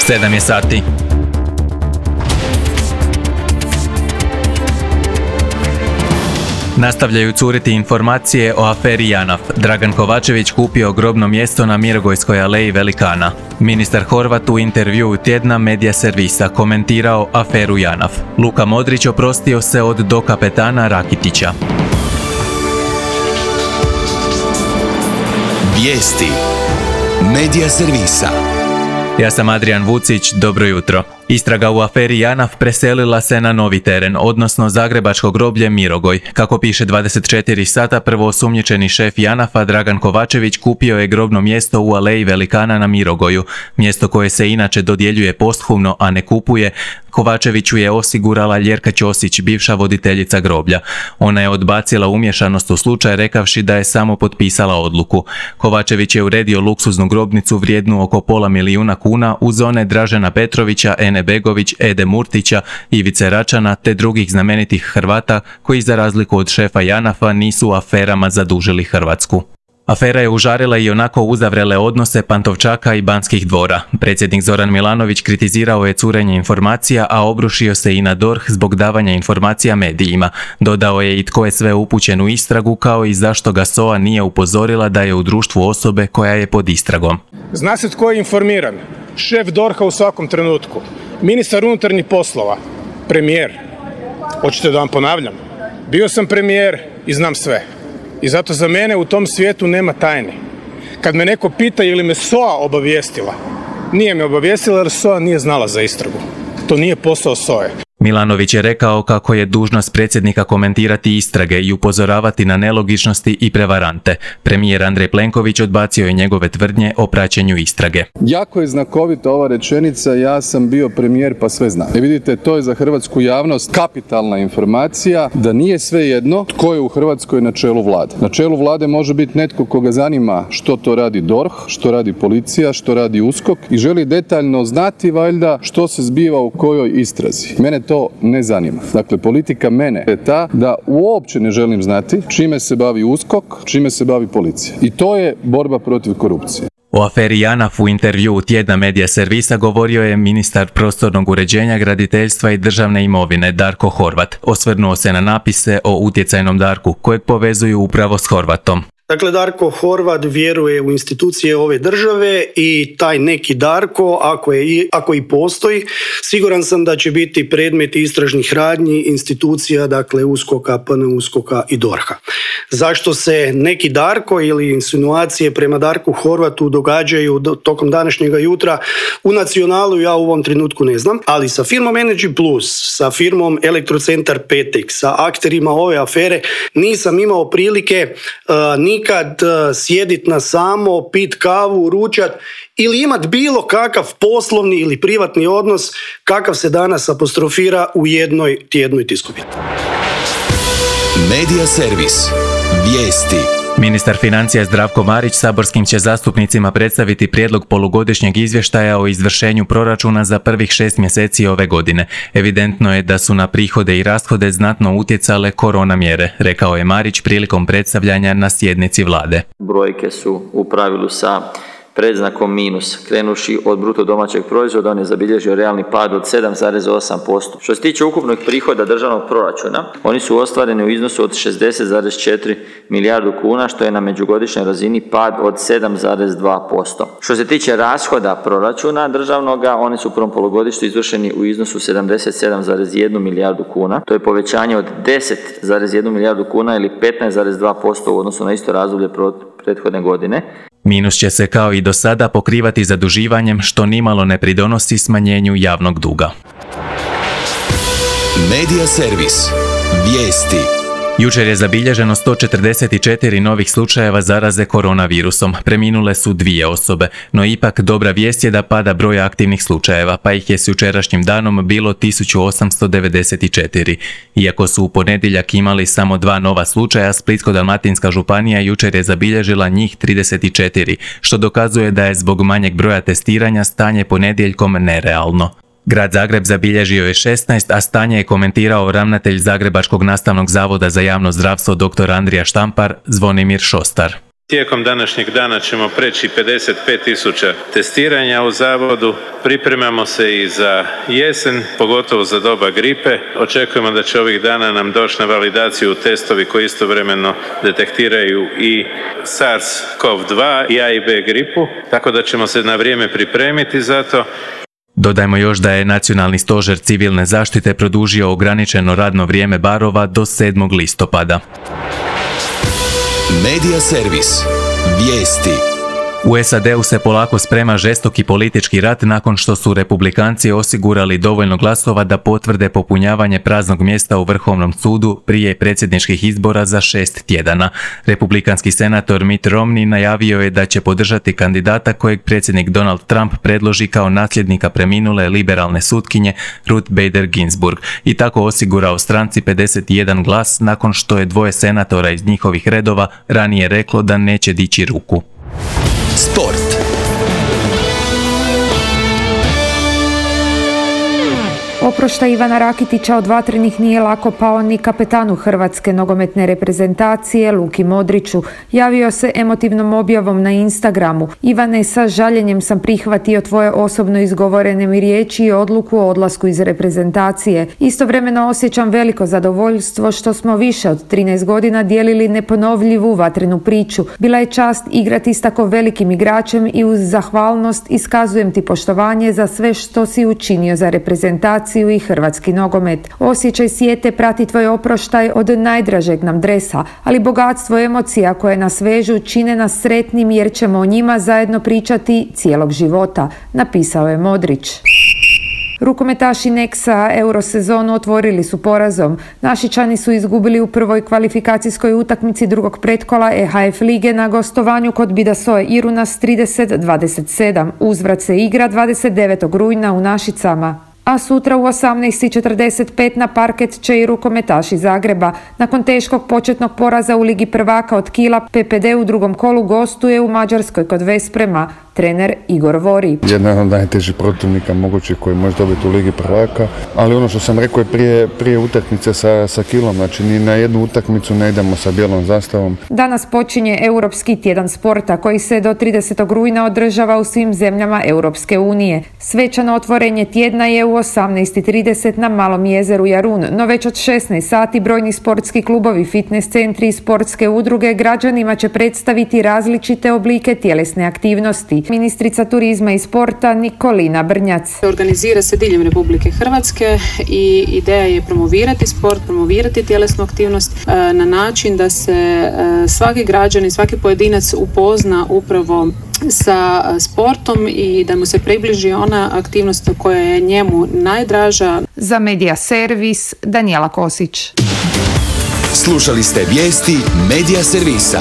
7 je sati. Nastavljaju curiti informacije o aferi JANAF. Dragan Kovačević kupio grobno mjesto na Mirogojskoj aleji Velikana. Ministar Horvat u intervjuu tjedna Medija servisa komentirao aferu JANAF. Luka Modrić oprostio se od dokapetana Rakitića. Vijesti Medija servisa. Ja sam Adrian Vucić, dobro jutro. Istraga u aferi JANAF preselila se na novi teren, odnosno zagrebačko groblje Mirogoj. Kako piše 24 sata, prvoosumnjičeni šef JANAF-a Dragan Kovačević kupio je grobno mjesto u aleji Velikana na Mirogoju. Mjesto koje se inače dodjeljuje posthumno, a ne kupuje, Kovačeviću je osigurala Ljerka Ćosić, bivša voditeljica groblja. Ona je odbacila umješanost u slučaj rekavši da je samo potpisala odluku. Kovačević je uredio luksuznu grobnicu vrijednu oko $500 000 uz one Dražena Petrovića, Ene Begović, Ede Murtića, Ivice Račana te drugih znamenitih Hrvata koji za razliku od šefa JANAF-a nisu aferama zadužili Hrvatsku. Afera je užarila i onako uzavrele odnose Pantovčaka i Banskih dvora. Predsjednik Zoran Milanović kritizirao je curenje informacija, a obrušio se i na DORH zbog davanja informacija medijima. Dodao je i tko je sve upućen u istragu, kao i zašto ga SOA nije upozorila da je u društvu osobe koja je pod istragom. Zna se tko je informiran. Šef DORH-a u svakom trenutku. Ministar unutarnjih poslova. Premijer. Hoćete da vam ponavljam? Bio sam premijer i znam sve. I zato za mene u tom svijetu nema tajni. Kad me neko pita ili me SOA obavijestila, nije me obavijestila jer SOA nije znala za istragu. To nije posao SOA-e. Milanović je rekao kako je dužnost predsjednika komentirati istrage i upozoravati na nelogičnosti i prevarante. Premijer Andrej Plenković odbacio je njegove tvrdnje o praćenju istrage. Jako je znakovita ova rečenica, ja sam bio premijer pa sve znam. Vidite, to je za hrvatsku javnost kapitalna informacija da nije svejedno tko je u Hrvatskoj na čelu vlade. Na čelu vlade može biti netko koga zanima što to radi DORH, što radi policija, što radi USKOK i želi detaljno znati valjda što se zbiva u kojoj istrazi. Mene to ne zanima. Dakle, politika mene je ta da uopće ne želim znati čime se bavi USKOK, čime se bavi policija. I to je borba protiv korupcije. O aferi JANAF u intervjuu tjedna Medija servisa govorio je ministar prostornog uređenja, graditeljstva i državne imovine Darko Horvat. Osvrnuo se na napise o utjecajnom Darku kojeg povezuju upravo s Horvatom. Dakle, Darko Horvat vjeruje u institucije ove države i taj neki Darko, ako i postoji, siguran sam da će biti predmet istražnih radnji institucija, dakle USKOK-a, PNUSKOK-a i DORH-a. Zašto se neki Darko ili insinuacije prema Darku Horvatu događaju tokom današnjega jutra u Nacionalu, ja u ovom trenutku ne znam, ali sa firmom Energy Plus, sa firmom Elektrocentar Petek, sa akterima ove afere nisam imao prilike nikad sjedit na samo, pit kavu, ručat ili imat bilo kakav poslovni ili privatni odnos kakav se danas apostrofira u jednoj tjednoj tiskovini. Medija servis. Vijesti. Ministar financija Zdravko Marić saborskim će zastupnicima predstaviti prijedlog polugodišnjeg izvještaja o izvršenju proračuna za prvih 6 mjeseci ove godine. Evidentno je da su na prihode i rashode znatno utjecale korona mjere, rekao je Marić prilikom predstavljanja na sjednici vlade. Brojke su u pravilu sa predznakom minus. Krenuši od bruto domaćeg proizvoda, on je zabilježio realni pad od 7,8%. Što se tiče ukupnog prihoda državnog proračuna, oni su ostvareni u iznosu od 60,4 milijardu kuna, što je na međugodišnjoj razini pad od 7,2%. Što se tiče rashoda proračuna državnoga, oni su u prvom polugodištu izvršeni u iznosu 77,1 milijardu kuna. To je povećanje od 10,1 milijardu kuna ili 15,2% u odnosu na isto razdoblje prethodne godine. Minus će se kao i do sada pokrivati zaduživanjem, što nimalo ne pridonosi smanjenju javnog duga. Medija servis. Vijesti. Jučer je zabilježeno 144 novih slučajeva zaraze koronavirusom. Preminule su 2 osobe, no ipak dobra vijest je da pada broj aktivnih slučajeva, pa ih je s jučerašnjim danom bilo 1894. Iako su u ponedjeljak imali samo 2 nova slučaja, Splitsko-dalmatinska županija jučer je zabilježila njih 34, što dokazuje da je zbog manjeg broja testiranja stanje ponedjeljkom nerealno. Grad Zagreb zabilježio je 16, a stanje je komentirao ravnatelj Zagrebačkog nastavnog zavoda za javno zdravstvo dr. Andrija Štampar, Zvonimir Šostar. Tijekom današnjeg dana ćemo preći 55.000 testiranja u zavodu. Pripremamo se i za jesen, pogotovo za doba gripe. Očekujemo da će ovih dana nam doći na validaciju testovi koji istovremeno detektiraju i SARS-CoV-2 i A i B gripu, tako da ćemo se na vrijeme pripremiti za to. Dodajmo još da je Nacionalni stožer civilne zaštite produžio ograničeno radno vrijeme barova do 7. listopada. Medija servis. Vijesti. U SAD-u se polako sprema žestoki politički rat nakon što su republikanci osigurali dovoljno glasova da potvrde popunjavanje praznog mjesta u Vrhovnom sudu prije predsjedničkih izbora za 6 tjedana. Republikanski senator Mitt Romney najavio je da će podržati kandidata kojeg predsjednik Donald Trump predloži kao nasljednika preminule liberalne sutkinje Ruth Bader Ginsburg i tako osigurao stranci 51 glas nakon što je dvoje senatora iz njihovih redova ranije reklo da neće dići ruku. Sport. Oproštaj Ivana Rakitića od vatrenih nije lako pao ni kapetanu hrvatske nogometne reprezentacije Luki Modriću. Javio se emotivnom objavom na Instagramu. Ivane, sa žaljenjem sam prihvatio tvoje osobno izgovorene mi riječi i odluku o odlasku iz reprezentacije. Istovremeno osjećam veliko zadovoljstvo što smo više od 13 godina dijelili neponovljivu vatrenu priču. Bila je čast igrati s tako velikim igračem i uz zahvalnost iskazujem ti poštovanje za sve što si učinio za reprezentaciju i hrvatski nogomet. Osjećaj sjete prati tvoj oproštaj od najdražeg nam dresa, ali bogatstvo emocija koje nas vežu čine nas sretnim jer ćemo o njima zajedno pričati cijelog života, napisao je Modrić. Rukometaši Nexa Eurosezonu otvorili su porazom. Našičani su izgubili u prvoj kvalifikacijskoj utakmici drugog pretkola EHF lige na gostovanju kod Bidasoe Iruna s 30-27. Uzvrat se igra 29. rujna u Našicama. A sutra u 18:45 na parket će i rukometaši Zagreba. Nakon teškog početnog poraza u Ligi prvaka od Kila, PPD u drugom kolu gostuje u Mađarskoj kod Vesprema. Trener Igor Vori. Jedan od najtežih protivnika mogućih koji može dobiti u Ligi prvaka, ali ono što sam rekao je prije utakmice sa Kilom, znači ni na jednu utakmicu ne idemo sa bijelom zastavom. Danas počinje Europski tjedan sporta koji se do 30. rujna održava u svim zemljama Europske unije. Svečano otvorenje tjedna je u 18:30 na Malom jezeru Jarun, no već od 16 sati brojni sportski klubovi, fitness centri i sportske udruge građanima će predstaviti različite oblike tjelesne aktivnosti. Ministrica turizma i sporta Nikolina Brnjac. Organizira se diljem Republike Hrvatske i ideja je promovirati sport, promovirati tjelesnu aktivnost na način da se svaki građanin, svaki pojedinac upozna upravo sa sportom i da mu se približi ona aktivnost koja je njemu najdraža. Za Medija servis Danijela Kosić. Slušali ste vijesti Medija servisa.